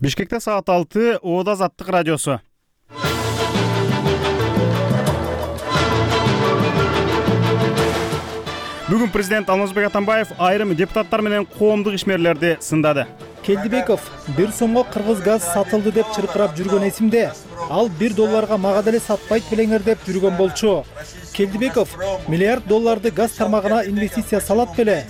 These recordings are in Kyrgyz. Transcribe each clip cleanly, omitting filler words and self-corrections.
Бишкекте саат 6 Оода Азаттык радиосу. Бүгүн президент Алмазбек Атамбаев айрым депутаттар менен коомдук ишмерлерди сындады. Келдибеков 1 сомго кыргыз газ сатылды деп чыркырап жүргөн эсимде. Ал $1 мага деле сатпайт белеңер деп жүргөн болчу. Келдибеков $1 миллиард газ тармагына инвестиция салат беле.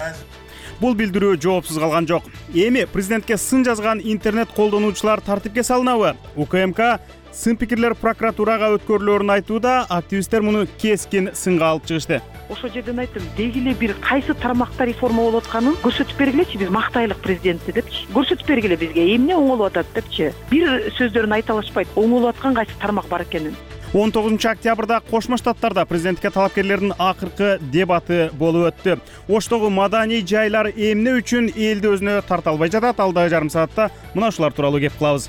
Бул билдирүү жоопсуз калган жок. Эми президентке сын жазган интернет колдонуучулар тартипке салынабы? УКМК сын пикирлер прокуратурага өткөрүлөрүн айтууда, активисттер муну кескин сынга алып чыгышты. Ошол жерден айттым, дегиле бир кайсы тармакта реформа болуп атканын көрсөтүп бергилечи, биз мактайлык президентти депчи. Көрсөтүп бергиле бизге, эмне оңолуп атат депчи. Бир сөздөрүн айта алышпайт, оңолуп аткан кайсы тармак бар экенин. 19 октябрда Кошмо Штаттарда президентке талапкерлердин акыркы дебаты болуп өттү. Оштогу маданий жайлар эмне үчүн элди өзүнө тарта албай жатат? Алдагы жарым саатта мына ушулар тууралуу кеп кылабыз.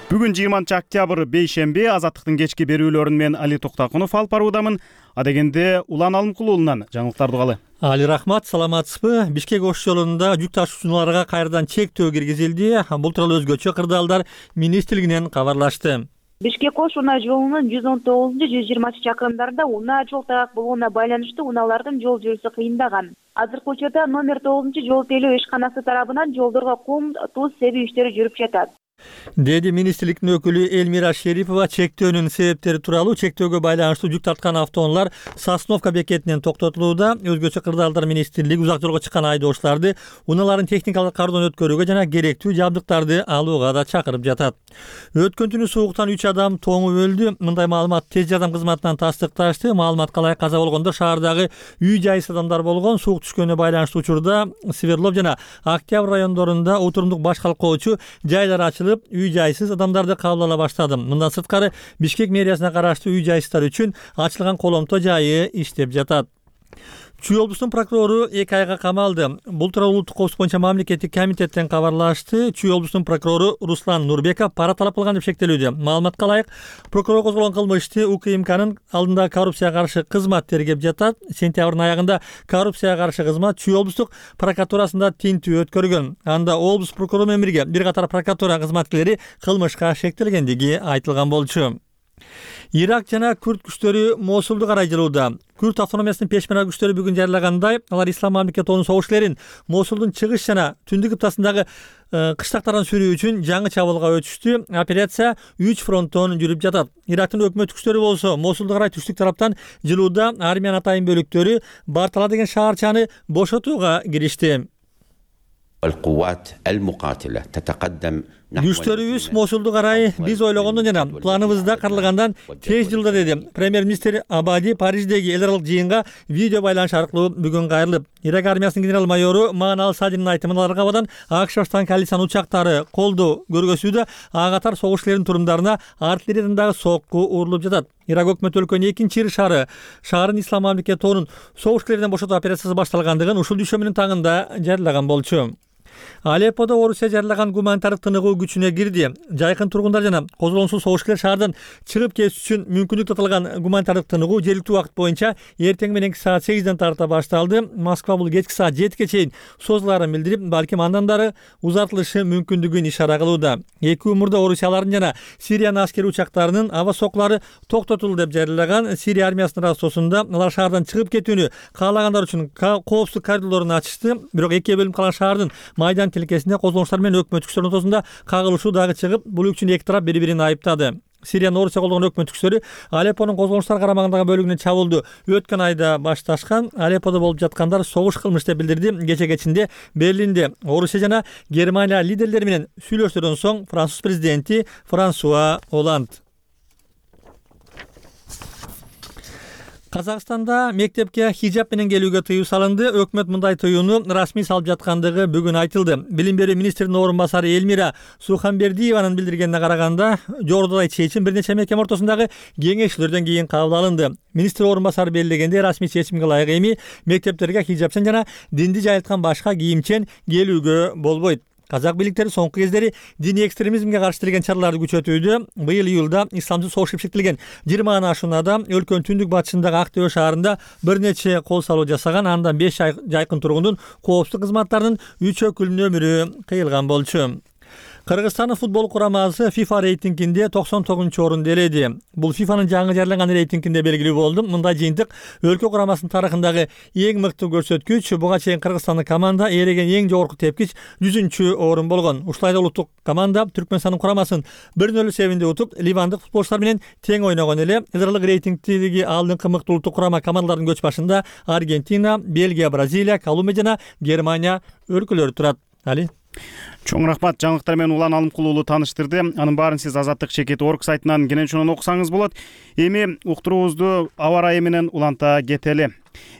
Бүгүн 20 октябрь бейшемби. Азаттыктын кечки берүүлөрүн мен Али Токтакунов алып баруудамын. Адегенде Улан Алымкул уулунан жаңылыктарды угалы. Али рахмат, саламатсызбы? Бишкек Ош жолунда жүк ташуучуларга кайрадан чектөө киргизилди. Бул тууралуу өзгөчө кырдаалдар министрлигинен кабарлашты. Бишкек Ош унаа жолунун 119-120 чакырымдарында унаа жол тайгак болгонуна байланыштуу унаалардын жол жүрүшү кыйындаган. Азыркы учурда номер 9 жол тейлөө ишканасы тарабынан жолдорго кум, туз себүү иштери жүрүп жатат, деди министрликтин өкүлү Элмира Шерипова. Чектөөнүн себептери тууралуу чектөөгө байланыштуу жүк тарткан автоунаалар Сосновка бекетинен токтотулууда. Өзгөчө кырдаалдар министрлиги узак жолго чыккан айдоочуларды унааларын техникалык кардон өткөрүүгө жана керектүү жабдыктарды алууга да чакырып жатат. Өткөн түнү сууктан 3 адам тоңуп өлдү. Мындай маалымат тез жардам кызматынан тастыкташты. Маалыматка ылайык каза болгондор шаардагы үй жайсыз адамдар болгон. Суук түшкөнүнө байланыштуу учурда Свердлов жана Октябрь райондорунда отурумдук баш калкоочу жайлар ачылып, үй жайсыз адамдарды кабыл ала баштады. Мындан сырткары Бишкек мэриясына караштуу үй жайсыздар үчүн ачылган коломто жайы иштеп жатат. Чүй облусунун прокурору 2 айга камалды. Бул тууралуу улуттук коопсуздук боюнча мамлекеттик комитеттен кабарлашты. Чүй облусунун прокурору Руслан Нурбеков пара талап кылган деп шектелүүдө. Маалыматка ылайык, прокурор козголгон кылмышты УКМКнын алдында коррупцияга каршы кызмат тергеп жатат. Сентябрдын аягында коррупцияга каршы кызмат Чүй облустук прокуратурасында тинтүү өткөргөн. Анда облус прокурору менен бирге бир катар прокуратура кызматкерлери кылмышка шектелгендиги айтылган болчу. Ирак жана Күрд күчтөрү Мосулду карай жылууда. Күрд автономиясынын пешмерга күчтөрү бүгүн жарыягандай, алар Ислам мамлекетинин согуш ээлерин Мосулдун чыгыш жана түндүк кыптасындагы кыштактардан сүрүү үчүн жаңы чабуулга өтүштү. Операция 3 фронттон жүрүп жатат. Ирактын өкмөт күчтөрү болсо Мосулду карай түштүк тараптан жылууда армиянын атайын бөлүктөрү Бартала деген шаарчаны бошотууга киришти. Күчтөрүбүз Мосулду карай биз ойлогондон жана планыбызда каралгандан тез жылда, деди премьер-министр Абади Париждеги эл аралык жыйынга видео байланыш аркылуу бүгүн кайрылып. Ирак армиясынын генерал-майору Маан Садинин айтымына аркабадан АКШ баштаган коалициянын учактары колдоо көргөзүүдө ага катар согуш ээлеринин турумдарына артиллериядан дагы сокку урулуп жатат. Ирак өкмөтү өлкөнүн 2-ир шаарын Ислам мамлекети торунун согуш ээлеринен бошотуу операциясы башталгандыгын ушул дүйшөмүнүн таңында жарыяган болчу. Алепподо Орусия жарыяган гуманитардык тыныгуу күчүнө кирди. Жайкын тургундар жана козголоңсуз согушкерлер шаардан чыгып кетиш үчүн мүмкүнлүк татылган гуманитардык тыныгуу жергиликтүү убакыт боюнча эртең мененки саат 8ден тарта башталды. Москва бул кечки саат 7ге чейин созулаарын билдирип, балким андан дары узартылышы мүмкүндүгүн ишара кылууда. Эки умурда Орусиялардын жана Сириянын аскери учактарынын аба сокулары токтотулду деп жарыяган Сирия армиясынын рассосунда алар шаардан чыгып кетүүнү каалагандар үчүн коопсуздук коридорлорун ачышты. Бирок экиге бөлүнүп калган шаардын майдан тилкесинде козголоңчулар менен өкмөт күчтөрүнүн ортосунда кагылышуу дагы чыгып, бул үчүн эки тарап бири-бирин айыптады. Сириянын Орусия колдогон өкмөт күчтөрү Алеппонун козголоңчулар карамагындагы бөлүгүнө чабуулду өткөн айда башташкан. Алепподо болуп жаткандар согуш кылмыш деп билдирди. Кече кечинде Берлинде Орусия жана Германия лидерлери менен сүйлөшүүдөн соң Француз президенти Франсуа Оланд. Казакстанда мектепке хижап менен келүүгө тыюу салынды. Өкмөт мындай тыюуну расмий салып жаткандыгы бүгүн айтылды. Билим берүү министринин орун басары Элмира Суханбердиеванын билдиргенине караганда, жогорудагы чечим бир нече мектеп ортосундагы кеңешүүлөрдөн кийин кабыл алынды. Министр орун басары белгилегенде, расмий чечимге ылайык эми мектептерге хижапчан жана динди жайылткан башка кийимчен келүүгө болбойт. Казак бийликтери соңку кездери диний экстремизмге каршы келген чараларды күчөтүүдө. Быйыл июлда исламчы согуш кепшектилген 20 ашунада өлкөнүн түндүк батышындагы Ак Төбө шаарында бир нече кол салуу жасаган, андан 5 жайкын тургундун коопсуздук кызматтарынын 3 өкүлүнүн өмүрү кыйылган болчу. Кыргызстандын футбол курамасы FIFA рейтингинде 99 орунду ээледи. Бул FIFAнын жаңы жарыялаган рейтингинде белгилүү болду. Мындай жыйынтык өлкө курамасынын тарыхындагы эң мыкты көрсөткүч. Буга чейин Кыргызстандын команда ээлеген эң жогорку тепкич 100 орун болгон. Ушулай да улуттук команда Түркмөнстандын курамасын 1-0 эсебинде утуп, ливандык футболчулар менен тең ойногон эле. Эзерлик рейтингдеги алдыңкы мыкты улуттук курама командалардын көч башында Аргентина, Бельгия, Бразилия, Колумбия жана Германия өлкөлөрү турат. Али Чоң рахмат, жаңылыктар менен Улан Алымкулуулу тааныштырды. Анын баарын сиз Азаттык Чекит орг сайтынан кенен чонун окусаңыз болот. Эми уктуруубузду аба ырайы менен уланта кетели.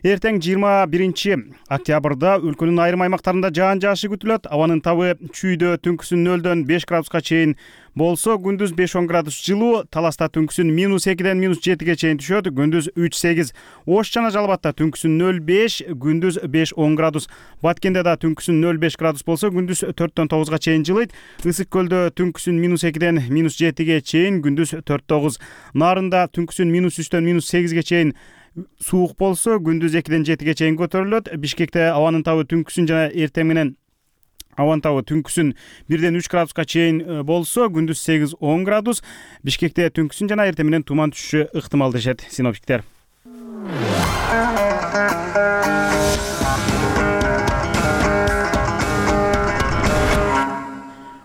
Эртең 21 октябрда өлкөнүн айрым аймактарында жаан жаашы күтүлөт. Абанын табы чүйдө түнкүсүн 0-дөн 5 градуска чейин болсо, күндүз 5-10 градус жылуу, Таласта түнкүсүн -2-ден -7ге чейин түшөт, күндүз 3-8. Ош жана Жалбатта түнкүсүн 0-5, күндүз 5-10 градус. Баткенде да түнкүсүн 0-5 градус болсо, күндүз 4-дөн 9га чейин жылыйт. Ысык көлдө түнкүсүн -2-ден -7ге чейин, күндүз 4-9. Нарында түнкүсүн -3-дөн -8ге чейин суук болсо, күндүз 2-ден 7ге чейин көтөрүлөт. Бишкекте абанын табы түнкүсүн жана эртең менен абанын табы түнкүсүн 1-ден 3 градуска чейин болсо, күндүз 8-10 градус. Бишкекте түнкүсүн жана эртең менен туман түшүшү ыктымал дешет синоптиктер.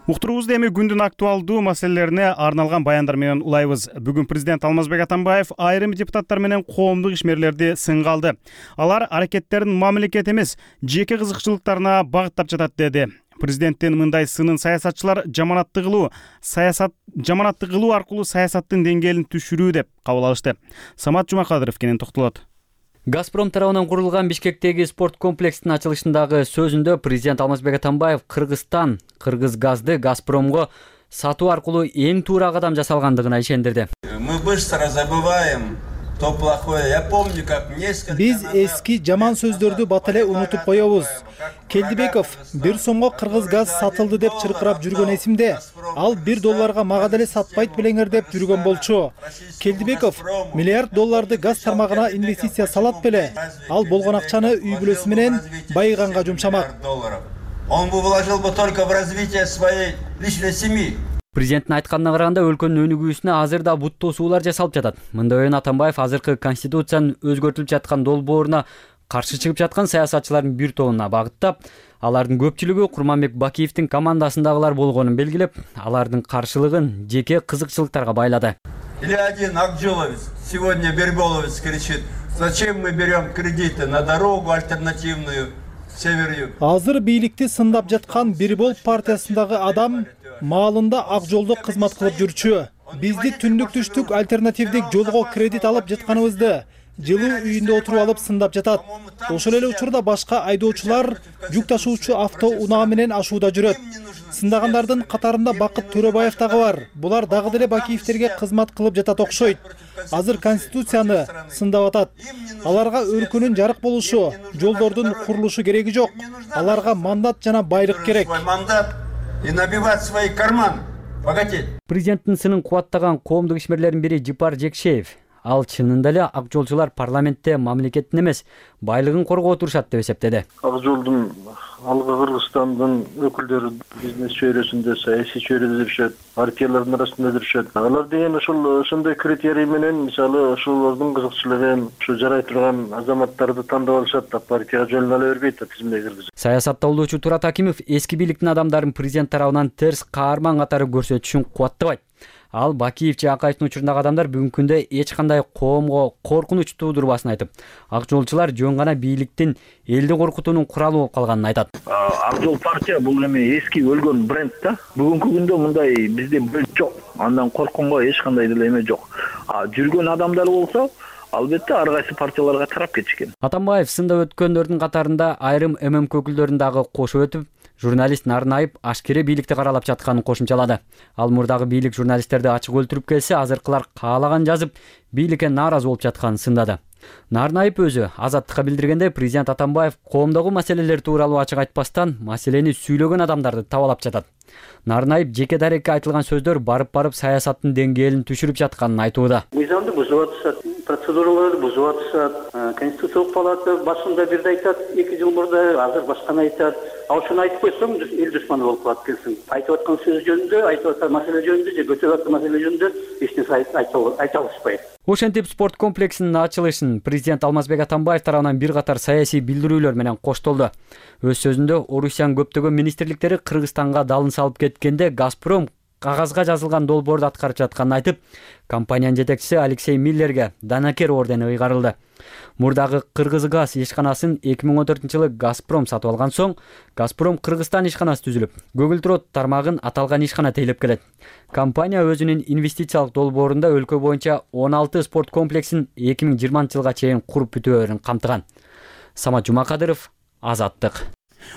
Уктуруубузду эми күндүн актуалдуу маселелерине арналган баяндар менен улайбыз. Бүгүн президент Алмазбек Атамбаев айрым депутаттар менен коомдук ишмерлерди сынга алды. Алар аракеттерин мамлекет эмес, жеке кызыкчылыктарына багыттап жатат деди. Президенттин мындай сынын саясатчылар жаманатты кылуу аркылуу саясаттын деңгээлин түшүрүү деп кабыл алышты. Самат Жумакадыров кенен токтолот. Газпром тарабынан курулган Бишкектеги спорт комплекстин ачылышындагы сөзүндө президент Алмазбек Атамбаев Кыргызстан Кыргызгазды Газпромго сатуу аркылуу эң туура кадам жасалгандыгына ишендирди. Мы быстро забываем то плохое. Я помню, как несколько Биз эски жаман сөздөрдү бат эле унутуп коебуз. Келдибеков 1 сомго Кыргызгаз сатылды деп чыркырап жүргөн эсимде. Ал $1 мага деле сатпайт белеңер деп жүргөн болчу. Келдибеков $1 миллиард газ тармагына инвестиция салат беле. Ал болгон акчаны үй бүлөсү менен байыганга жумшамак. Он бы вложил бы только в развитие своей личной семьи. Президенттин айтканына караганда өлкөнүн өнүгүүсүнө азыр да буттуу суулар жасалып жатат. Мындай ойун Атамбаев азыркы конституциянын өзгөртүлүп жаткан долбооруна каршы чыгып жаткан саясатчылардын бир тобуна багыттап, алардын көпчүлүгү Курманбек Бакиевдин командасындагылар болгонун белгилеп, алардын каршылыгын жеке кызыкчылыктарга байлады. Или один Акжоловец, сегодня Берголовец кричит: зачем мы берем кредиты на дорогу альтернативную север-юг? Азыр бийликти сындап жаткан Бирбол партиясындагы адам маалында ак жолдо кызмат кылып жүрчү. Бизди түндүк түштүк альтернативдик жолго кредит алып жатканыбызды жылуу үйүндө отуруп алып сындап жатат. Ошол эле учурда башка айдоочулар жүк ташуучу авто унаа менен ашууда жүрөт. Сындагандардын катарында Бакыт Төрөбаев дагы бар. Булар дагы деле Бакиевтерге кызмат кылып жатат окшойт. Азыр конституцияны сындап атат. Аларга өлкөнүн жарык болушу, жолдордун курулушу кереги жок. Аларга мандат жана байлык керек. И набивать свои карманы, богатеть. Президенттин сынын кубаттаган коомдук ишмерлердин бири Жипар Жекшеев. Ал чынында эле ак жолчулар парламентте мамлекеттин эмес, байлыгын коргоо турушат деп эсептеди. Ак жолдун алгы Кыргызстандын өкүлдөрү бизнес чөйрөсүндө, саясий чөйрөдө жүрүшөт, партиялардын арасында жүрүшөт. Алар деген ошондой критерий менен, мисалы, ошолордун кызыкчылыгын, ушу жарай турган азаматтарды тандап алышат да, партияга жолуна ала бербейт да, тизимге киргизип. Саясатта болуучу Турат Акимов эски бийликтин адамдарын президент тарабынан терс каарман катары көрсөтүшүн кубаттабайт. Ал Бакиев же Акаевдин учурундагы адамдар бүгүнкү күндө эч кандай коомго коркунуч туудурбасын айтып, ак жолчулар жөн гана бийликтин элди коркутуунун куралы болуп калганын айтат. Ак жол партия бул эми эски өлгөн бренд да. Бүгүнкү күндө мындай бизде бренд жок. Андан коркконго эч кандай деле эме жок. Жүргөн адамдар болсо, албетте ар кайсы партияларга тарап кетишкен. Атамбаев сында өткөндөрдүн катарында айрым ММК өкүлдөрүн дагы кошуп өтүп, журналист Нарынайып ашкере бийликти каралап жатканын кошумчалады. Ал мурдагы бийлик журналисттерди ачык өлтүрүп келсе, азыркылар каалаган жазып, бийликке нааразы болуп жатканын сындады. Нарнаев өзү Азаттыкка билдиргенде президент Атамбаев коомдогу маселелер тууралуу ачык айтпастан маселени сүйлөгөн адамдарды табалап жатат. Нарнаев жеке дарекке айтылган сөздөр барып саясаттын деңгээлин түшүрүп жатканын айтууда. Мыйзамды бузуп атышат, процедураларды бузуп атышат. Конституциялык палата башында бирди айтат, 2 жыл мурда, азыр башканы айтат. Ал ушуну айтып койсоң, эл душманы болуп калат келсин. Айтып аткан сөз жөнүндө, айтып аткан маселе жөнүндө же көтөрүп аткан маселе жөнүндө эч нерсе айта алышпайт. Ошентип спорт комплексинин ачылышын президент Алмазбек Атамбаев тарабынан бир катар саясий билдирүүлөр менен коштолду. Өз сөзүндө Орусиянын көптөгөн министрликтери Кыргызстанга далын салып кеткенде Газпром кагазга жазылган долбоорду аткарып жатканын айтып, компаниянын жетекчиси Алексей Миллерге Данакер ордени ыйгарылды. Мурдагы Кыргызгаз ишканасын 2014-жылы Газпром сатып алган соң, Газпром Кыргызстан ишканасы түзүлүп, Көгүлтүрөт тармагын аталган ишкана тейлеп келет. Компания өзүнүн инвестициялык долбоорунда өлкө боюнча 16 спорт комплексин 2020-жылга чейин куруп бүтүүрүн камтыган. Самат Жумакадыров, Азаттык.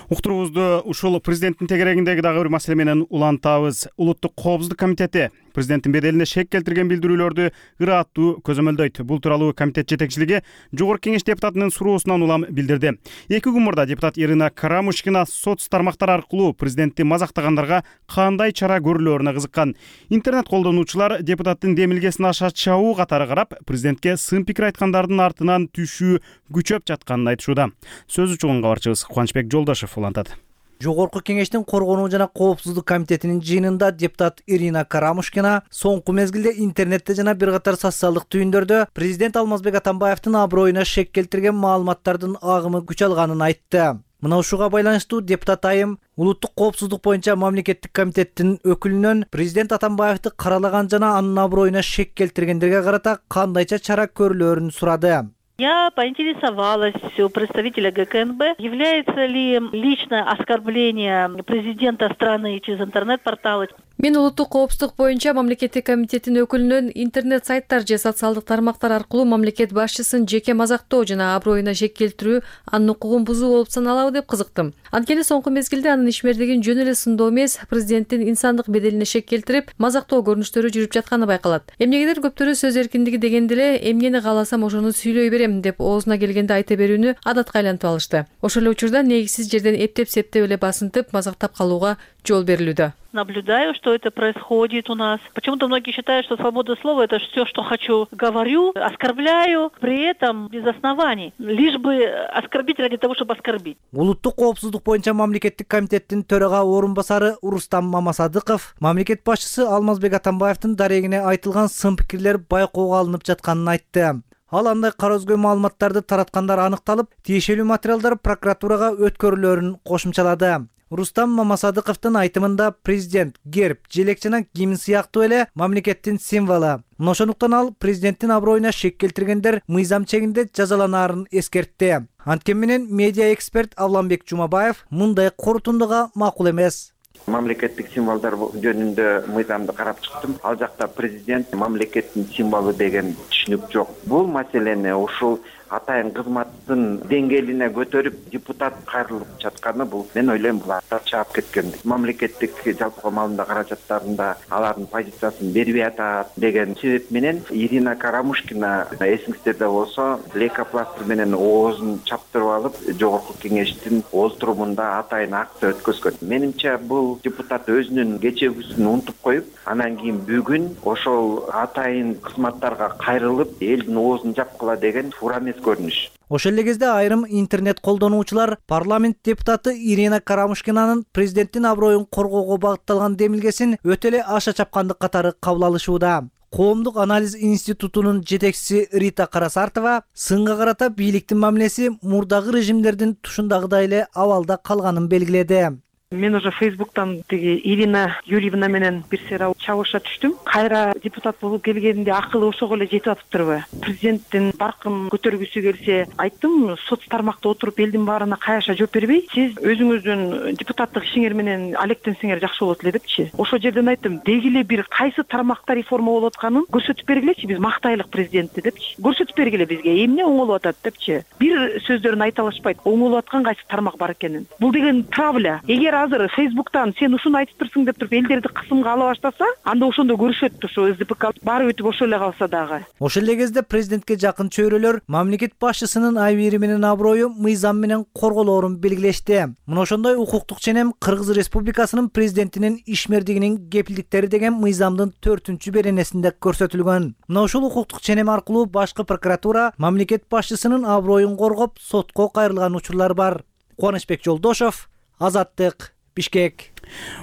Уктуруубузду ушул президенттин тегерегиндеги дагы бир маселе менен улантабыз. Улуттук коопсуздук комитети президенттин беделине шек келтирген билдирүүлөрдү ыраттуу көзөмөлдөйт. Бул тууралуу комитет жетекчилиги Жогорку Кеңеш депутатынын суроосунан улам билдирди. 2 күн мурда депутат Ирина Карамушкина соц тармактар аркылуу президентти мазактагандарга кандай чара көрүлөөрүнө кызыккан. Интернет колдонуучулар депутаттын демилгесин аша чабуу катары карап, президентке сын пикир айткандардын артынан түшүү күчөп жатканын айтышууда. Сөз учугун кабарчыбыз Кубанычбек Жолдошев улантат. Жогорку Кеңештин коргонуу жана коопсуздук комитетинин жыйынында депутат Ирина Карамушкина соңку мезгилде интернетте жана бир катар социалдык түйүндөрдө президент Алмазбек Атамбаевдин аброюна шек келтирген маалыматтардын агымы күч алганын айтты. Мына ушуга байланыштуу депутат айым улуттук коопсуздук боюнча мамлекеттик комитеттин өкүлүнөн президент Атамбаевди каралаган жана анын аброюна шек келтиргендерге карата кандайча чара көрүлөөрүн сурады. Я поинтересовалась у представителя ГКНБ, является ли личное оскорбление президента страны через интернет-порталы. Мен улуттук коопсуздук боюнча мамлекеттик комитеттин өкүлүнөн интернет сайттар же социалдык тармактар аркылуу мамлекет башчысын жеке мазактоо жана аброюна шек келтирүү анын укугун бузуу болуп саналабы деп кызыктым. Анткени соңку мезгилде анын ишмердигин жөн эле сындоо эмес, президенттин инсандык беделине шек келтирип, мазактоо көрүнүштөрү жүрүп жатканы байкалат. Эмнегедир көптөрү сөз эркиндиги дегенде эле эмнени кааласам ошону сүйлөй берем деп оозуна келгенде айта берүүнү адатка айлантып алышты. Ошол эле учурда негизсиз жерден эптеп-септеп эле басынтып, мазактап калууга жол берилүүдө. Наблюдаю, что это происходит у нас. Почему-то многие считают, что свобода слова — это все, что хочу, говорю, оскорбляю, при этом без оснований. Лишь бы оскорбить ради того, чтобы оскорбить. Улуттук коопсуздук боюнча мамлекеттик комитеттин төрага орун басары Рустам Мамасадыков мамлекет башчысы Алмазбек Атамбаевдин дарегине айтылган сын пикирлер байкоого алынып жатканын айтты. Ал андай кара өзгө маалыматтарды тараткандар аныкталып, тиешелүү материалдар прокуратурага өткөрүлөөрүн кошумчалады. Рустам Мамасадыковдун айтымында президент герб, желек жана гимн сыяктуу эле мамлекеттин символу. Ошондуктан ал президенттин аброюна шек келтиргендер мыйзам чегинде жазаланаарын эскертти. Анткени менен медиа эксперт Авламбек Жумабаев мындай корутундуга макул эмес. Мамлекеттик символдор жөнүндө мыйзамды карап чыктым. Ал жакта президент мамлекеттин символу деген түшүнүк жок. Бул маселени ушул атайын кызматтын деңгээлине көтөрүп депутат кайрылып жатканы бул мен ойлойм бул чаап кеткен. Мамлекеттик жалпы маалында каражаттарында алардын позициясын бербей атат деген себеп менен Ирина Карамушкина эсиңиздерде болсо лейкопластырь менен оозун чаптырып алып Жогорку Кеңештин олтурумунда атайын акты өткөзгөн. Менимче бул депутат өзүнүн кечегүсүн унутуп коюп, анан кийин бүгүн ошол атайын кызматтарга кайрылып элдин оозун жапкыла деген туура эмес көрүнүш. Ошол эле кезде айрым интернет колдонуучулар парламент депутаты Ирина Карамушкинанын президенттин аброюн коргоого багытталган демилгесин өтө эле аша чапкандык катары кабыл алышууда. Коомдук анализ институтунун жетекчиси Рита Карасартова сынга карата бийликтин мамилеси мурдагы режимдердин тушундагыдай эле абалда калганын белгиледи. Мен уже Фейсбуктан Ирина Юрьевна менен бир сыйра чабышка түштүм. Кайра депутат болуп келгенде акылы ошого эле жетип атыптырбы? Президенттин баркын көтөргүсү келсе, айттым, соц тармакта отуруп элдин баарына каяша жооп бербей, сиз өзүңүздүн депутаттык ишиңер менен алектенсеңер жакшы болот эле депчи. Ошол жерден айттым, деги эле бир кайсы тармакта реформа болуп атканын көрсөтүп бергилечи, биз мактайлык президентти депчи. Көрсөтүп бергиле бизге, эмне оңолуп атат депчи. Бир сөздөрүн айта алышпайт, оңолуп аткан кайсы тармак бар экенин. Бул деген травля. Эгер азыр Facebook'тан сен ушуну айтып турсуң деп туруп элдерди кысымга ала баштаса, анда ошондо көрүшөт ошо СДПК баары өтүп ошол эле калса дагы. Ошол эле кезде президентке жакын чөйрөлөр мамлекет башчысынын айбири менен аброю мыйзам менен корголоорун белгилешти. Мына ошондой укуктук ченем Кыргыз Республикасынын президентинин ишмердигинин кепилдиктери деген мыйзамдын 4-беренесинде көрсөтүлгөн. Мына ушул укуктук ченем аркылуу башкы прокуратура мамлекет башчысынын аброюн коргоп сотко кайрылган учурлар бар. Кубанычбек Жолдошов, Азаттык, Бишкек.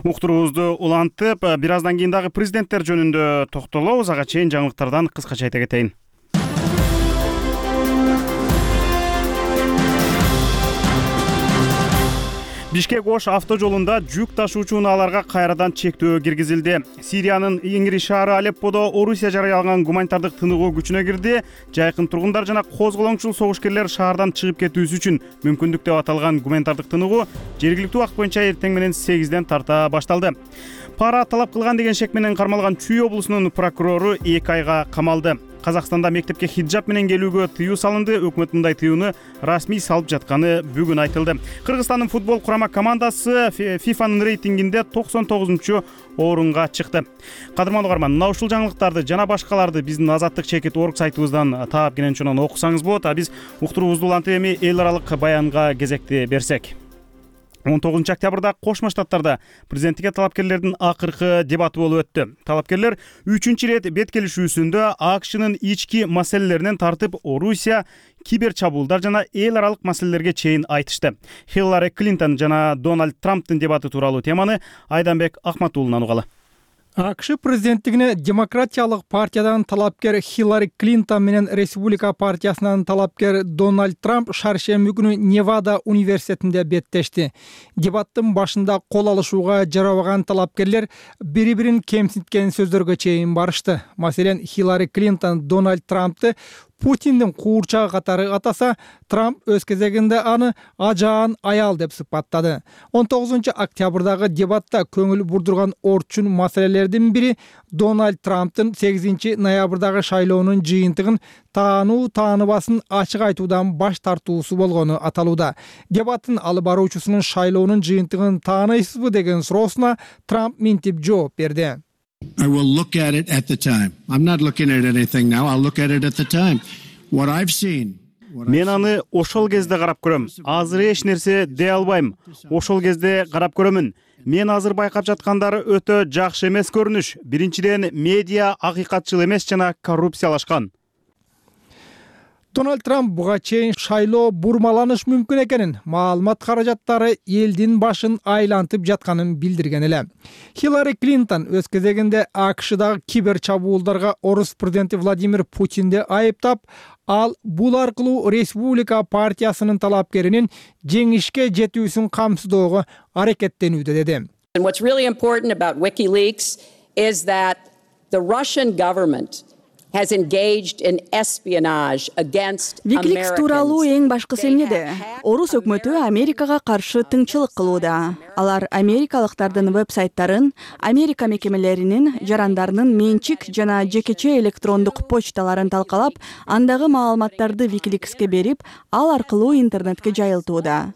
Уктуруубузду улантып, бир аздан кийин дагы президенттер жөнүндө токтолобуз. Ага чейин жаңылыктардан кыскача айта кетейин. Бишкек-Ош автожолунда жүк ташуучу унааларга кайрадан чектөө киргизилди. Сириянын иңири шаары Алепподо Орусия жарыялаган гуманитардык тыныгуу күчүнө кирди. Жайкын тургундар жана козголоңчул согушкерлер шаардан чыгып кетүүсү үчүн мүмкүндүк деп аталган гуманитардык тыныгуу жергиликтүү убакыт боюнча эртең менен 8ден тарта башталды. Пара талап кылган деген шек менен кармалган Чүй облусунун прокурору 2 айга камалды. Казакстанда мектепке хиджаб менен келүүгө тыюу салынды. Өкмөт мындай тыюуну расмий салып жатканы бүгүн айтылды. Кыргызстандын футбол курама командасы ФИФАнын рейтингинде 99-орунга чыкты. Кадырман угарман, мына ушул жаңылыктарды жана башкаларды биздин Азаттык чекит орг сайтыбыздан таап кенен окусаңыз болот. А биз уктуруубузду улантып эми эл аралык баянга кезекти берсек. 19 октябрда Кошмо Штаттарда президенттикке талапкерлердин акыркы дебаты болуп өттү. Талапкерлер 3-чү рет бет келишүүсүндө АКШнын ички маселелеринен тартып Орусия, кибер чабуулдар жана эл аралык маселелерге чейин айтышты. Хиллари Клинтон жана Дональд Трамптын дебаты тууралуу теманы Айданбек Акматуулунан угалы. АКШ президенттигине демократиялык партиядан талапкер Хиллари Клинтон менен Республика партиясынан талапкер Дональд Трамп шаршемби күнү Невада университетинде беттешти. Дебаттын башында кол алышууга жарабаган талапкерлер бири-бирин кемсинткен сөздөргө чейин барышты. Маселен, Хиллари Клинтон Дональд Трампты Путиндин куурчагы катары атаса, Трамп өз кезегинде аны ажаан аял деп сыпаттады. 19 октябрдагы дебатта көңүл бурдурган орчун маселелердин бири Дональд Трамптын 8 ноябрдагы шайлоонун жыйынтыгын тааныбасын ачык айтуудан баш тартуусу болгону аталууда. Дебаттын алып баруучусунун шайлоонун жыйынтыгын тааныйсызбы деген суроосуна Трамп минтип жооп берди. I will look at it at the time. I'm not looking at anything now. I'll look at it at the time. What I've seen. Мен аны ошол кезде карап көрөм. Азыр эч нерсе дей албайм. Ошол кезде карап көрөмүн. Мен азыр байкап жаткандары өтө жакшы эмес көрүнүш. Биринчиден, медиа акыйкатчыл эмес жана коррупциялашкан. Дональд Трамп буга чейин шайлоо бурмаланыш мүмкүн экенин, маалымат каражаттары элдин башын айлантып жатканын билдирген эле. Хиллари Клинтон өз кезегинде АКШдагы кибер чабуулдарга орус президенти Владимир Путинди айыптап, ал бул аркылуу Республика партиясынын талапкеринин жеңишке жетүүсүн камсыздоого аракеттенүүдө деди. And what's really important about WikiLeaks is that the Russian government has engaged in espionage against Americans. WikiLeaks тууралуу эң башкысы эмнеде? Орус өкмөтү Америкага каршы тыңчылык кылууда. Алар америкалыктардын веб-сайттарын, Америка мекемелеринин, жарандарынын менчик жана жекече электрондук почталарын талкалап, андагы маалыматтарды WikiLeaksке берип, ал аркылуу интернетке жайылтууда.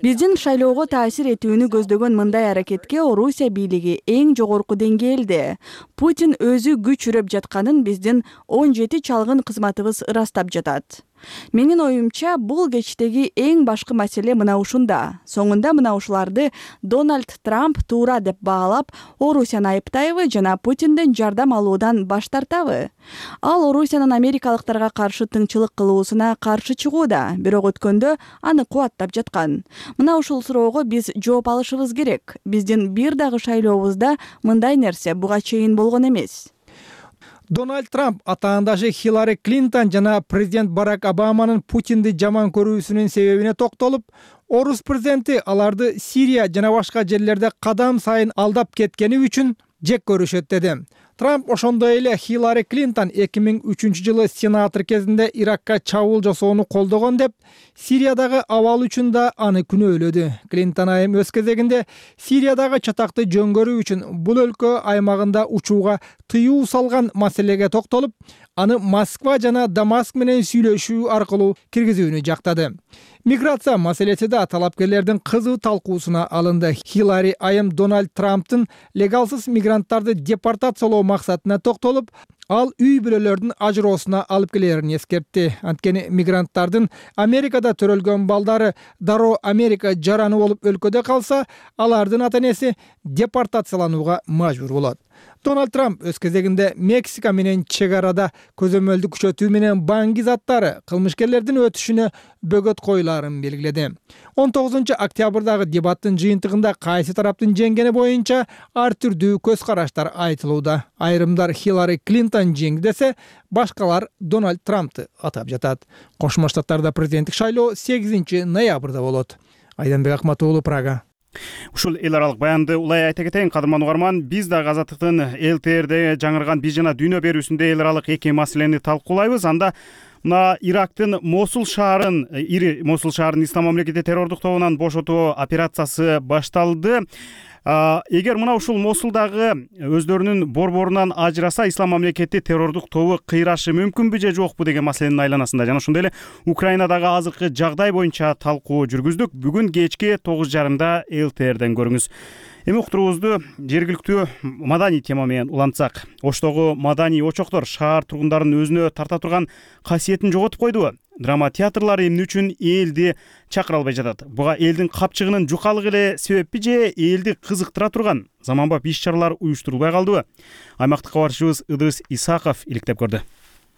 Биздин шайлоого таасир этүүнү көздөгөн мындай аракетке Орусия бийлиги эң жогорку деңгээлде. Путин өзү күч үрөп жатканын биздин 17 чалгын кызматыбыз ырастап жатат. Менин оюмча, бул кечтеги эң башкы маселе мына ушунда. Соңунда мына ушуларды Дональд Трамп туура деп баалап, Орусияны айыптайбы жана Путинден жардам алуудан баш тартабы? Ал Орусиянын америкалыктарга каршы тыңчылык кылуусуна каршы чыгууда, бирок өткөндө аны кубаттап жаткан. Мына ушул суроого биз жооп алышыбыз керек. Биздин бир дагы шайлообузда мындай нерсе буга чейин болгон эмес. Дональд Трамп атаандашы Хиллари Клинтон жана президент Барак Обаманын Путинди жаман көрүүсүнүн себебине токтолуп, орус президенти аларды Сирия жана башка жерлерде кадам сайын алдап кеткени үчүн жек көрүшөт деди. Трамп ошондой эле Хиллари Клинтон 2003-жылы сенатор кезинде Иракка чабуул жасоону колдогон деп, Сириядагы абал үчүн да аны күнөөлөдү. Клинтон айым өз кезегинде Сириядагы чатакты жөнгөрүү үчүн бул өлкө аймагында учууга тыюу салган маселеге токтолуп, аны Москва жана Дамаск менен сүйлөшүү аркылуу киргизүүнү жактады. Миграция маселеси да талапкерлердин кызуу талкуусуна алынды. Хиллари айым Дональд Трамптын легалсыз мигранттарды депортациялоо максатына токтолуп, ал үй бүлөлөрдүн ажыроосуна алып келерин эскертти. Анткени мигранттардын Америкада төрөлгөн балдары дароо Америка жараны болуп өлкөдө калса, алардын ата-энеси депортацияланууга мажбур болот. Дональд Трамп өз кезегинде Мексика менен чек арада көзөмөлдү күчөтүү менен баңги заттары кылмышкерлердин өтүшүнө бөгөт коюларын белгиледи. 19 октябрдагы дебаттын жыйынтыгында кайсы тараптын жеңгени боюнча ар түрдүү көз караштар айтылууда. Айрымдар Хиллари Клинтон жеңди десе, башкалар Дональд Трампты атап жатат. Кошмо Штаттарда президенттик шайлоо 8 ноябрда болот. Айданбек Акматуулу, Прага. Ушул эл аралык баянды улай айта кетейин, кадырман угарман, биз да Азаттыктын ЛТРде жаңырган биз жана дүйнө берүүсүндө эл аралык эки маселени талкуулайбыз. Анда мына Ирактын Мосул шаарын Ислам мамлекети террордук тобунан бошотуу операциясы башталды. Эгер мына ушул Мосулдагы өздөрүнүн борборунан ажыраса, Ислам мамлекети террордук тобу кыйрашы мүмкүнбү же жокпу деген маселенин айланасында жана ошондой эле Украинадагы азыркы жагдай боюнча талкуу жүргүздүк. Бүгүн кечки 9:30 ЛТРден көрүңүз. Эми уктуруубузду жергиликтүү маданий тема менен улантсак. Оштогу маданий очоктор шаар тургундарын өзүнө тарта турган касиетин жоготуп койдубу? Драма театрлары эмне үчүн элди чакыра албай жатат? Буга элдин капчыгынын жукалыгы эле себеппи же элди кызыктыра турган заманбап иш-чаралар уюштурулбай калдыбы? Аймактык кабарчыбыз Ыдырыс Исаков иликтеп көрдү.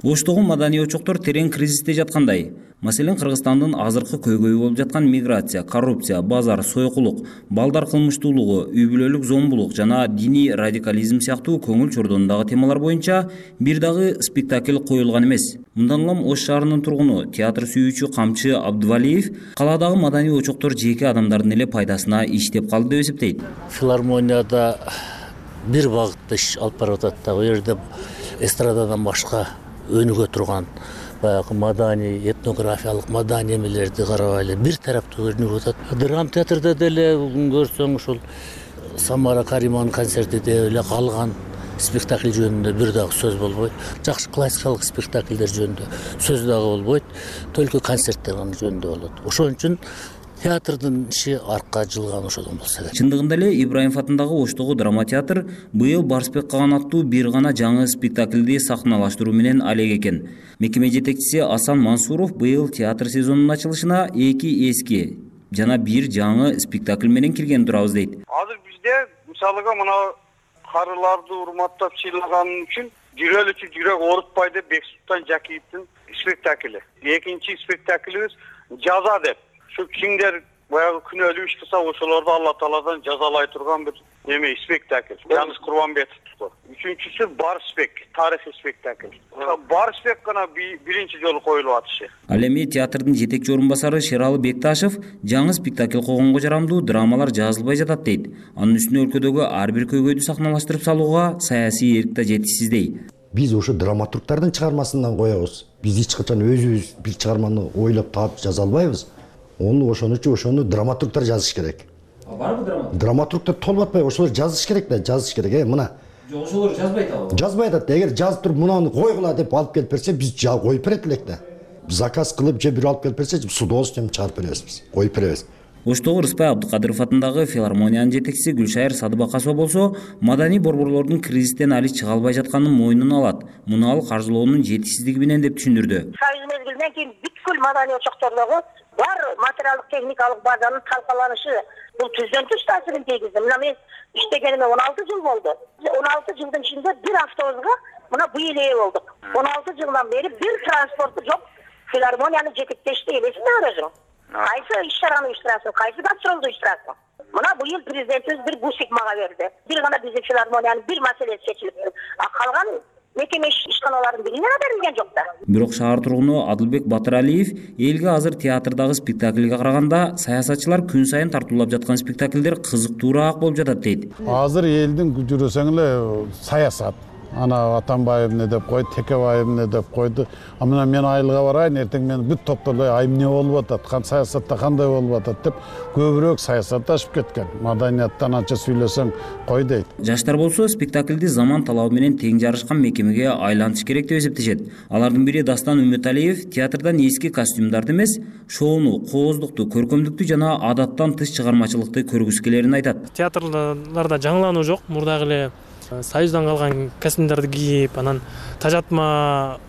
Оштогу маданий очоктор терең кризисте жаткандай. Маселен, Кыргызстандын азыркы көйгөйү болуп жаткан миграция, коррупция, базар, сойкулук, балдар кылмыштуулугу, үй бүлөлүк зомбулук жана диний радикализм сыяктуу көңүл чордонундагы темалар боюнча бир дагы спектакль коюлган эмес. Мындан улам Ош шаарынын тургуну, театр сүйүүчү Камчы Абдывалиев калаадагы маданий очоктор жеке адамдардын эле пайдасына иштеп калды деп эсептейт. Филармонияда бир багытта иш алып барып атат да, бул жерде эстрададан башка өнүгө турган баягы маданий, этнографиялык маданий эмелерди карабайлы бир тараптуу өнүгүп атат. Драма театрда деле көрсөң ушул Самара Кариманын концерти деп эле калган спектакль жөнүндө бир дагы сөз болбойт. Жакшы классикалык спектакльдер жөнүндө сөз дагы болбойт. Только концерттер жөнүндө болот. Ошон үчүн театрдын иши аркка жылган ошодон болсо керек. Чындыгында эле Ибраимов атындагы Оштогу драма театр быйыл Барсбек Каган аттуу бир гана жаңы спектакльди сахналаштыруу менен алек экен. Мекеме жетекчиси Асан Мансуров быйыл театр сезонунун ачылышына 2 эски жана бир жаңы спектакль менен кирген турабыз дейт. Азыр бизде мисалыга мына карыларды урматтап сыйлаган үчүн жүрөлүчү жүрөк оорутпай деп Бексултан Жакиевдин спектакли. Экинчи спектаклибиз Жаза деп. Şu kimler bayağı күнөөлүү иш кылса ошолорду Алла Тааладан жазалай турган бир эме спектакль. Жаныс Курбанбетов. Үчүнчүсү Барспек, тарыхый спектакль. Барспек гана биринчи жолу коюлуп атышы. Ал эми театрдын жетекчи орун басары Шералы Бекташев жаңы спектакль койгонго жарамдуу драмалар жазылбай жатат дейт. Анын үстүнө өлкөдөгү ар бир көйгөйдү сахналаштырып салууга саясий эрк да жетишсиз дейт. Биз ошо драматургдардын чыгармасынан коебуз. Биз эч качан өзүбүз бир чыгарманы ойлоп таап жаза албайбыз. Ошону драматургдар жазыш керек. Барбы драматург? Драматургдар толуп атпайбы, ошолор жазыш керек да, жазыш керек. Мына. Жок, ошолор жазбайт ал. Жазбайт да. Эгер жазып туруп мунаны койгула деп алып келип берсе, биз коюп берет элек да. Заказ кылып же бир алып келип берсе, с удовольствием чыгарып беребиз биз. Коюп беребиз. Оштогу Рыспай Абдыкадыров атындагы филармониянын жетекчиси Гүлшайыр Садыбакасова болсо, маданий борборлордун кризистен али чыга албай жатканын мойнуна алат. Муну ал каржылоонун жетишсиздиги менен деп түшүндүрдү. Союз мезгилинен кийин бүткүл маданий очоктордогу бар материалдык техникалык базанын талкаланышы бул түздөн түз таасирин тийгизди. Мына мен иштегениме 16 жыл болду. 16 жылдын ичинде бир автобуска мына быйыл ээ болдук. 16 жылдан бери бир транспорту жок. Филармонияны жетектешти элесиңер өзүң. Кайсы иш-чараны уюштурасың, кайсы гастролду уюштурасың. Мына быйыл президентибиз бир бусик мага берди. Бир гана биздин филармониянын бир маселеси чечилип, калган мекеме ишканаларын бирине да берилген жок да. Бирок шаар тургуну Адылбек Батыралиев элге азыр театрдагы спектакльге караганда саясатчылар күн сайын тартуулап жаткан спектакльдер кызыктуураак болуп жатат дейт. Азыр элдин жүрөсөң эле саясат, ана Атамбаев эмне деп койду, Текебаев эмне деп койду. А мына мен айылга барайын, эртең мен бүт топтолой ай эмне болуп атат, саясатта кандай болуп атат деп көбүрөөк саясатташып кеткен. Маданияттан анча сүйлөсөң кой дейт. Жаштар болсо спектакльди заман талабы менен тең жарышкан мекемеге айлантыш керек деп эсептешет. Алардын бири Дастан Үмөталиев театрдан эски костюмдарды эмес, шоуну, кооздукту, көркөмдүктү жана адаттан тыш чыгармачылыкты көргүсү келерин айтат. Театрларда жаңылануу жок. Мурдагы эле Союздан калган костюмдарды кийип, анан тажатма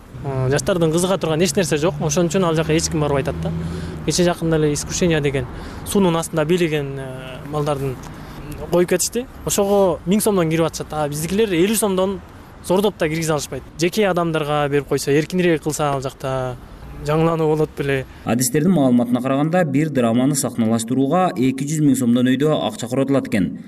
жаштардын кызыга турган эч нерсе жок. Ошон үчүн ал жака эч ким барбай атат да. Кече жакында эле искушение деген суунун астында бийлеген балдардын коюп кетишти. Ошого 1000 сомдон кирип атышат. Биздикилер 50 сомдон зордоп да киргизе алышпайт. Жеке адамдарга берип койсо, эркинирээк кылса ал жакта жаңылануу болот беле. Адистердин маалыматына караганда, бир драманы сахналаштырууга 200 000 сомдон өйдө акча коротулат экен.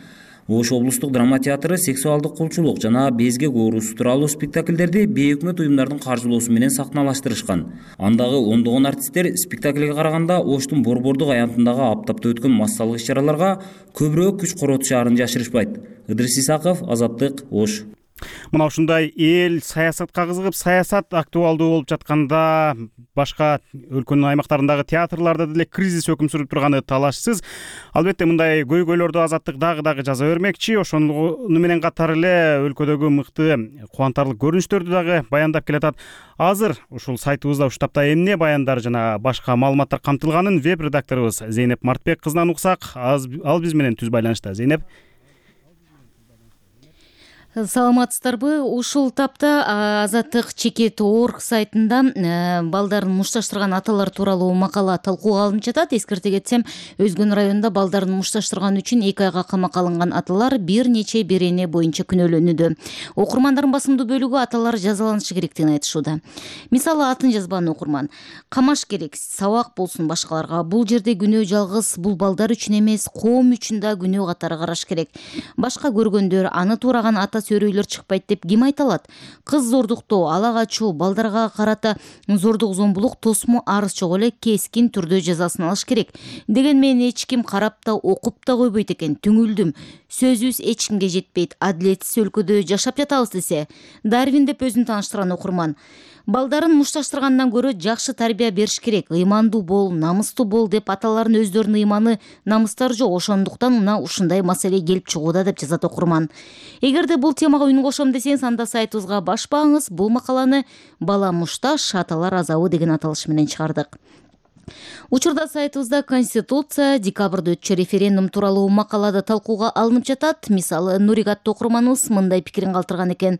Ош облустук драма театры сексуалдык кулчулук жана безгек оорусу тууралуу спектакльдерди бейөкмөт уюмдардын каржылоосу менен сахналаштырышкан. Андагы ондогон артисттер спектакльге караганда Оштун Борбордук аянтындагы аптапта өткөн массалык иш-чараларга көбүрөөк күч коротушаарын жашырышпайт. Ыдырыс Исаков, Азаттык, Ош. Мына ушундай эл саясатка кызыгып, саясат актуалдуу болуп жатканда башка өлкөнүн аймактарындагы театрларда деле кризис өкүм сүрүп турганы талашсыз. Албетте мындай көйгөйлөрдү Азаттык дагы жаза бермекчи. Ошону менен катар эле өлкөдөгү мыкты кубантарлык көрүнүштөрдү дагы баяндап келатат. Азыр ушул сайтыбызда уштапта эмне баяндар жана башка маалыматтар камтылганын веб редакторубуз Зейнеп Мартбек кызынан уксак. Ал биз менен түз байланышта. Зейнеп. Саламатсыздарбы? Ушул тапта Азаттык Чекет.org сайтында балдарын мушташтырган аталар тууралуу макала талкууга алынып жатат. Эскерте кетсем, Өзгөн районунда балдарын мушташтырган үчүн 2 айга камакка алынган аталар бир нече берене боюнча күнөөлөнүүдө. Окурмандардын басымдуу бөлүгү аталар жазаланышы керектигин айтышууда. Мисалы, атын жазбан окурман: камаш керек, сабак болсун башкаларга. Бул жерде күнөө жалгыз бул балдар үчүн эмес, коом үчүн да күнөө катары караш керек. Башка көргөндөр, аны туураган ата сөрөйлөр чыкпайт деп ким айта алат? Кыз зордуктоо, ала качуу, балдарга карата зордук зомбулук тосму арыз жок эле кескин түрдө жазасын алыш керек. Деген менен эч ким карап да, окуп да койбойт экен. Түңүлдүм. Сөзүбүз эч кимге жетпейт. Адилетсиз өлкөдө жашап жатабыз десе. Дарвин деп өзүн тааныштырган окурман. Балдарын мушташтыргандан көрө жакшы тарбия бериш керек. Ыймандуу бол, намыстуу бол деп аталардын өздөрүнүн ыйманы, намыстары жок. Ошондуктан мына ушундай маселе келип чыгууда деп жазат окурман. Эгерде бул темага үн кошом десеңиз, анда сайтыбызга башпаңыз. Бул макаланы «Бала мушташ, аталар азабы» деген аталыш менен чыгардык. Учурда сайтыбызда Конституция, декабрда өтчү референдум тууралуу макалада талкууга алынып жатат. Мисалы, Нурик аттуу окурманыбыз мындай пикирин калтырган экен.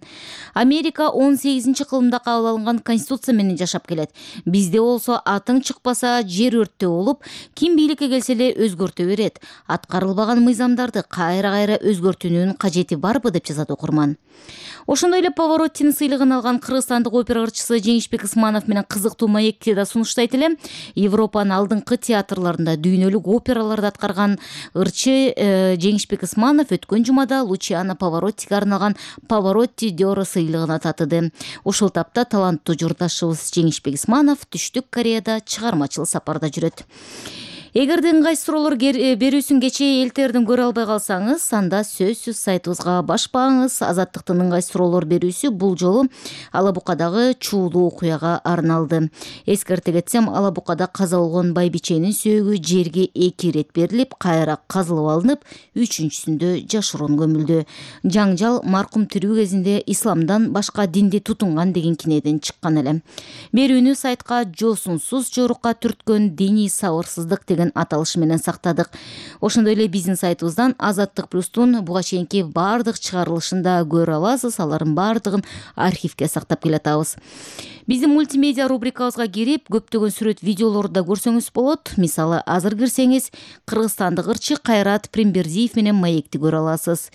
Америка 18-кылымда кабыл алынган Конституция менен жашап келет. Бизде болсо атың чыкпаса жер өрттөө болуп, ким бийликке келсе эле өзгөртө берет. Аткарылбаган мыйзамдарды кайра-кайра өзгөртүүнүн кажети барбы деп жазат окурман. Ошондой эле Повороттин сыйлыгын алган кыргызстандык опера ырчысы Жеңишбек Ысманов менен кызыктуу маекти да сунуштайт элем. Европанын алдыңкы театрларында дүйнөлүк операларды аткарган ырчы Жеңишбек Ысманов өткөн жумада Лучиано Повороттиге арналган Поворотти d'Oro сыйлыгына татыды. Ушул тапта таланттуу журдашыбыз Жеңишбек Ысманов Түштүк Кореяда чыгармачыл сапарда жүрөт. Эгерде ыңгай суроолор берүүсүн кечээ элтердин көрө албай калсаңыз, анда сөзсүз сайтыбызга башпаңыз. Азаттыктын ыңгай суроолор берүүсү бул жолу Ала Букадагы чуулуу окуяга арналды. Эскерте кетсем, Ала Букада каза болгон байбиченин сөөгү жерге 2 ирет берилип, кайра казылып алынып, 3-сүндө жашыруун көмүлдү. Жаңжал маркум тирүү кезинде исламдан башка динди тутунган деген кинеден чыккан эле. Берүүнү сайтка жосунсуз жорукка түрткөн диний сабырсыздык деген аталыш менен сактадык. Ошондой эле биздин сайтыбыздан Азаттык плюстун буга чейинки бардык чыгарылышында көрө аласыз. Алардын бардыгын архивге сактап келатабыз. Биздин мультимедиа рубрикабызга кирип, көптөгөн сүрөт видеолорду да көрсөңүз болот. Мисалы, азыр кирсеңиз, кыргызстандык ырчы Кайрат Примбердиев менен маекти көрө аласыз.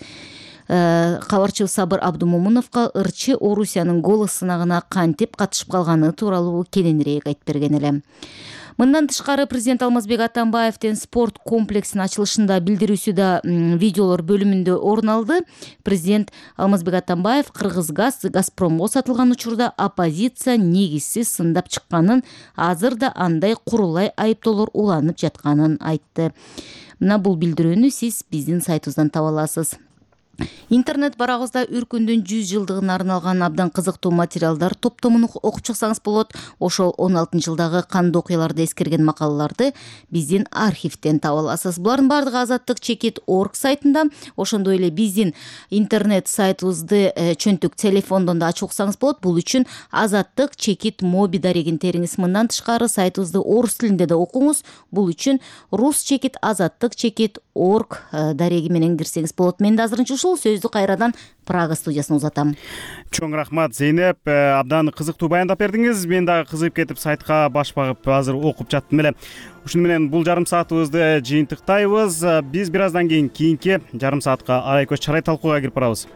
Кабарчы Сабыр Абдумомуновго ырчы Орусиянын голос сынагына кантип катышып калганы тууралуу кененирээк айтып берген элем. Мындан тышкары президент Алмазбек Атамбаевдин спорт комплексинин ачылышында билдирүүсү да видеолор бөлүмүндө орун алды. Президент Алмазбек Атамбаев Кыргызгаз Газпромго сатылган учурда оппозиция негизсиз сындап чыкканын, азыр да андай курулай айыптоолор уланып жатканын айтты. Мына бул билдирүүнү сиз биздин сайтыбыздан таба аласыз. Интернет барагыбызда үркүндүн 100 жылдыгына арналган абдан кызыктуу материалдар топтомун окуп чыксаңыз болот. Ошол 16-жылдагы кандуу окуяларды эскерген макалаларды биздин архивден таба аласыз. Булардын бардыгы азаттык.org сайтында. Ошондой эле биздин интернет сайтыбызды чөнтүк телефондон да ачып уксаңыз болот. Бул үчүн азаттык.моби дарегин териңиз. Мындан тышкары сайтыбызды орус тилинде да окуңуз. Бул үчүн rus.azattyk.org дареги менен кирсеңиз болот. Мен да азырынча ушул сөздү кайрадан Прага студиясына узатам. Чоң рахмат Зейнеп, абдан кызыктуу баяндап бердиңиз. Мен дагы кызыгып кетип сайтка баш багып азыр окуп жаттым эле. Ушуну менен бул жарым саатыбызды жыйынтыктайбыз. Биз бир аздан кийин кийинки жарым саатка арай көз чарай талкууга кирип барабыз.